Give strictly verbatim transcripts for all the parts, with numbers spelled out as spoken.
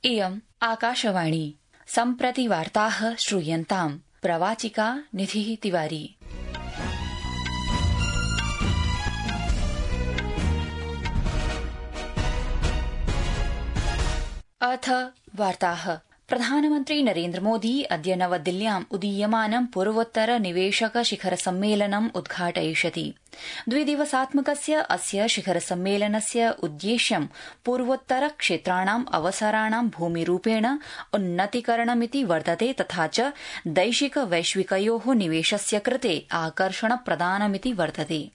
इयम् आकाशवाणी। सम्प्रति वार्ताः श्रूयन्ताम्। प्रवाचिका निधिः तिवारी। अथ वार्ताः। प्रधानमन्त्री नरेन्द्र मोदी अद्य नवदिल्ल्याम् उदीयमानं पूर्वोत्तर निवेशक शिखर सम्मेलनम् उद्घाटयिष्यति। द्विदिवसात्मकस्य अस्य शिखर सम्मेलनस्य उद्देश्यं पूर्वोत्तर क्षेत्राणाम् अवसराणां भूमिरूपेण उन्नतीकरणमिति वर्तते तथा च दैशिक वैश्विकयोः निवेशस्य कृते आकर्षण प्रदानमिति वर्तते।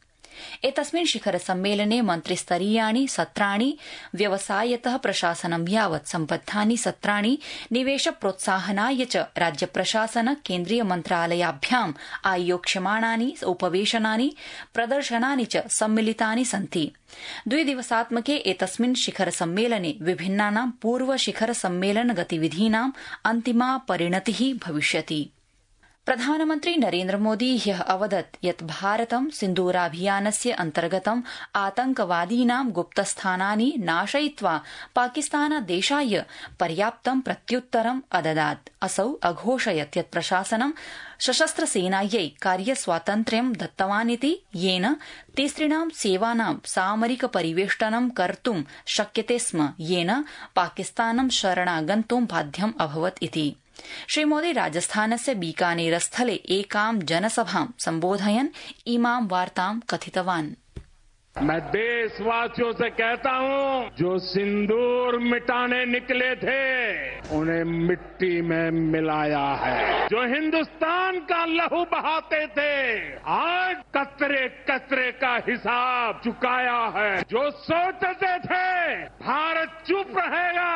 एतस्मिन् शिखर सम्मेलने मन्त्रिस्तरीयाणि सत्राणि व्यवसायतः प्रशासनं यावत् सम्बद्धानि सत्राणि निवेश प्रोत्साहनाय च राज्य प्रशासन केन्द्रीय मन्त्रालयाभ्याम् आयोक्ष्यमाणानि उपवेशनानि प्रदर्शनानि च सम्मिलितानि सन्ति। द्विदिवसात्मके एतस्मिन् शिखर सम्मेलने विभिन्नानां पूर्व शिखर सम्मेलन गतिविधीनाम् अन्तिमा परिणतिः भविष्यति। प्रधानमन्त्री नरेन्द्र मोदी ह्यः अवदत् यत् भारतं सिन्दूराभियानस्य अन्तर्गतं आतंकवादीनां गुप्तस्थानानि नाशयित्वा पाकिस्तानदेशाय पर्याप्तं प्रत्युत्तरम् अददात्। असौ अघोषयत् यत् प्रशासनं सशस्त्रसेनायै कार्यस्वातन्त्र्यं दत्तवानिति येन तिसृणां सेवानां सामरिक परिवेष्टनं कर्तुं शक्यते स्म येन पाकिस्तानं शरणागन्तुं बाध्यम् अभवत् इति। श्रीमोदी राजस्थानस्य बीकानेरस्थले एकां जनसभां सम्बोधयन् इमां वार्तां कथितवान्। मैं देशवासियों से कहता हूं, जो सिंदूर मिटाने निकले थे उन्हें मिट्टी में मिलाया है। जो हिंदुस्तान का लहू बहाते थे आज कतरे कतरे का हिसाब चुकाया है। जो सोचते थे भारत चुप रहेगा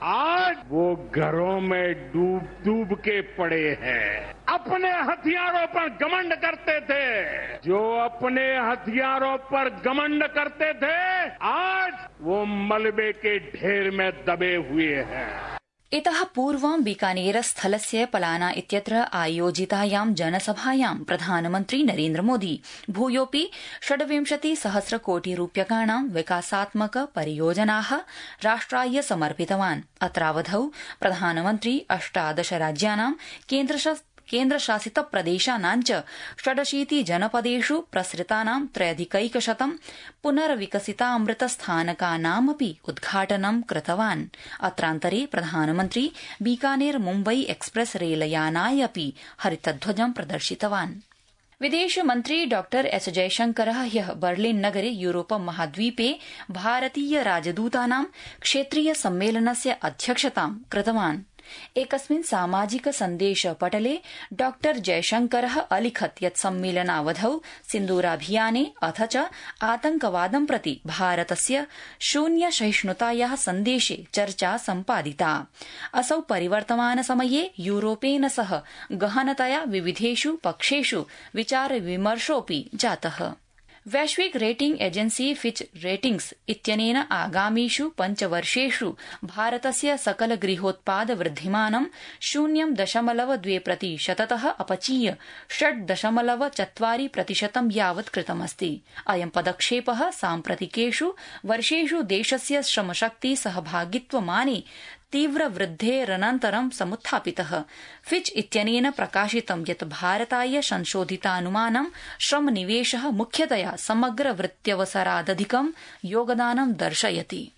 आज वो घरों में डूब डूब के पड़े हैं। अपने हथियारों पर घमंड करते थे, जो अपने हथियारों पर घमंड करते थे आज वो मलबे के ढेर में दबे हुए हैं। इतः पूर्वं बीकानेरस्थलस्य पलाना इत्यत्र आयोजितायां जनसभायां प्रधानमन्त्री नरेन्द्र मोदी भूयोऽपि षड्विंशति सहस्र कोटि रूप्यकाणां विकासात्मक परियोजनाः राष्ट्राय समर्पितवान्। अत्रावधौ प्रधानमन्त्री अष्टादश राज्यानां केन्द्रशासित केन्द्रशासित प्रदेशानां च षडशीति जनपदेषु प्रसृतानां त्रयधिकैकशतं पुनर्विकसितामृतस्थानकानामपि उद्घाटनं कृतवान्। अत्रान्तरे प्रधानमन्त्री बीकानेर मुम्बई एक्सप्रेस रेलयानाय अपि हरितध्वजं प्रदर्शितवान्। विदेशमन्त्री डॉ एस जयशंकरः ह्यः बर्लिन नगरे यूरोप महाद्वीपे भारतीय राजदूतानां क्षेत्रीय सम्मेलनस्य अध्यक्षतां कृतवान्। एकस्मिन् सामाजिक सन्देश पटले डॉ जयशंकरः अलिखत् यत् सम्मेलनावधौ सिन्दूराभियाने अथ च आतंकवादं प्रति भारतस्य शून्य सहिष्णुतायाः सन्देशे चर्चा सम्पादिता। असौ परिवर्तमान समये यूरोपेन सह गहनतया विविधेषु पक्षेषु विचार विमर्शोऽपि जातः। वैश्विक रेटिंग एजेन्सी फिच रेटिंग्स इत्यनेन आगामीषु पञ्चवर्षेषु भारतस्य सकल गृहोत्पाद वृद्धिमानं शून्यं दशमलव द्वे प्रतिशततः अपचीय षड् दशमलव चत्वारि प्रतिशतं यावत् कृतमस्ति। अयं पदक्षेपः साम्प्रतिकेषु वर्षेषु देशस्य श्रमशक्ति सहभागित्वमाने तीव्र वृद्धेरनन्तरं समुत्थापितः। फिच इत्यनेन प्रकाशितं यत् भारताय संशोधितानुमानं श्रमनिवेशः मुख्यतया समग्र वृत्त्यवसरादधिकं योगदानं दर्शयति।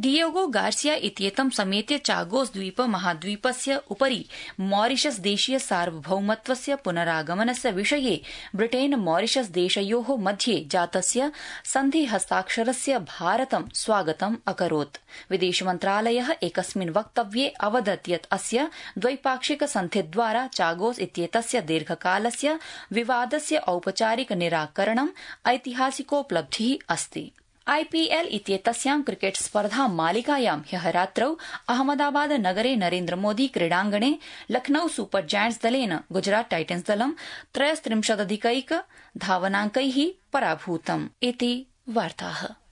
डिएगो गार्सिया इत्येतं समेत्य चागोस द्वीप महाद्वीपस्य उपरि मॉरिशस देशीय सार्वभौमत्वस्य पुनरागमनस्य विषये ब्रिटेन मॉरिशस देशयोः मध्ये जातस्य सन्धि हस्ताक्षरस्य भारतं स्वागतम् अकरोत्। विदेश मन्त्रालयः एकस्मिन् वक्तव्ये अवदत् यत् अस्य द्वैपाक्षिक सन्धिद्वारा चागोस इत्येतस्य दीर्घकालस्य विवादस्य औपचारिक निराकरणम् ऐतिहासिकोपलब्धिः अस्ति। आईपीएल इत्येतस्यां क्रिकेट स्पर्धा मालिकायां ह्यः रात्रौ अहमदाबाद नगरे नरेन्द्र मोदी क्रीडाङ्गणे लखनऊ सुपर जायंट्स दलेन गुजरात टाइटन्स दलं त्रयस्त्रिंशदधिकैक धावनाङ्कैः पराभूतम् इति वार्ताः।